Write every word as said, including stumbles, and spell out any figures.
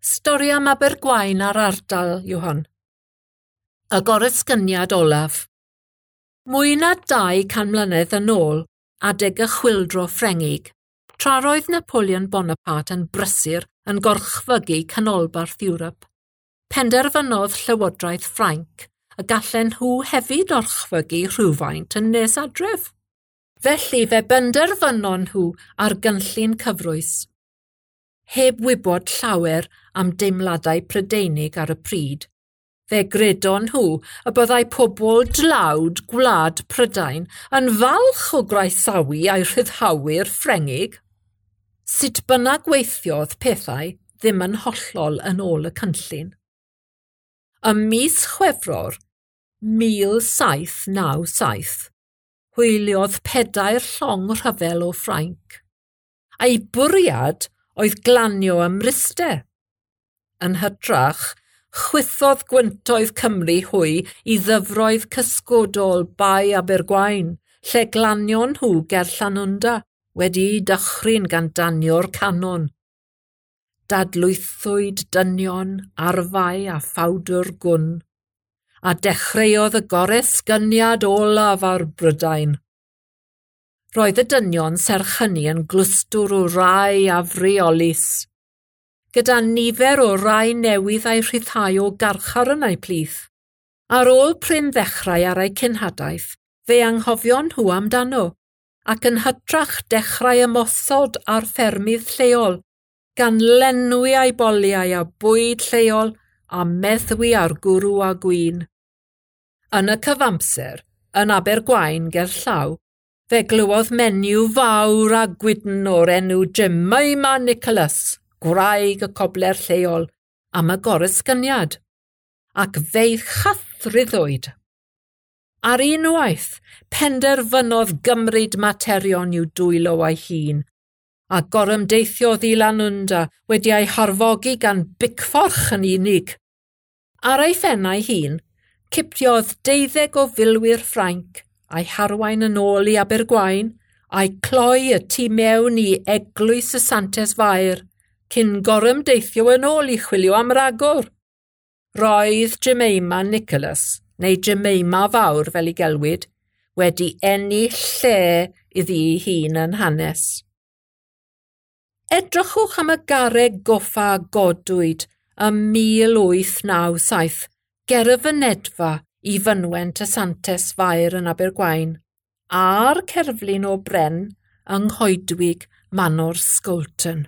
Stori am Abergwaun a'r ardal yw hon. Y goresgyniad olaf. Mwy na dau can mlynedd yn ôl, adeg y chwyldro Ffrengig, tra roedd Napoleon Bonaparte yn brysur yn gorchfygu canolbarth Ewrop, penderfynodd Llywodraeth Ffrainc y gallen nhw hefyd orchfygu rhywfaint yn nes adref. Felly fe benderfynon nhw ar gynllun cyfrwys. Heb wybod llawer am deimladau Prydeinig ar y pryd, fe gredon nhw y byddai pobl dlawd gwlad Prydain yn falch o groesawu eu rhyddhawyr Ffrengig. Sut bynnag weithiodd pethau ddim yn hollol yn ôl y cynllun. Ym mis Chwefror mil saith naw saith, hwyliodd pedair llong rhyfel o Ffrainc, a'i bwriad oedd glanio ym Mryste. Yn hytrach, chwythodd gwyntoedd Cymru hwy i ddyfroedd cysgodol Bae Abergwaun, lle glanion nhw ger Llanwnda, wedi'u dychryn gan danio'r canon. Dadlwythwyd dynion, arfau a phowdr gwn, a dechreuodd y goresgyniad olaf ar Brydain. Roedd y dynion serch hynny yn glwstwr o rai afreolus, gyda nifer o rai newydd a'i rhyddhau o garchar yn eu plith. Ar ôl prin ddechrau ar eu cenhadaeth, fe anghofion nhw amdano, ac yn hytrach dechrau ymosod ar ffermydd lleol, gan lenwi eu boliau a bwyd lleol a meddwi ar gwrw a gwin. Yn y cyfamser, yn Abergwaun gerllaw, fe glywodd menyw fawr a gwydn o'r enw Jemima Nicholas, gwraig y cobler lleol, am y goresgyniad, ac fe'i chythruddwyd. Ar unwaith, penderfynodd gymryd materion i'w dwylo ei hun, a gorymdeithiodd i Lanwnda wedi ei harfogi gan bicfforch yn unig. Ar ei phen ei hun, cipiodd deuddeg o filwyr Ffrainc, a'i harwain yn ôl i Abergwaun, a'i cloi y tu mewn i Eglwys y Santes Fair, cyn gorymdeithio yn ôl i chwilio am ragor. Roedd Jemima Nicholas, neu Jemima Fawr fel y'i gelwid, wedi ennill lle iddi hun yn hanes. Edrychwch am y garreg goffa godwyd ym mil wyth naw saith ger y fynedfa i fynwent y Santes Fair yn Abergwaun, a'r cerflun o bren yng nghoedwig Manor Scolton.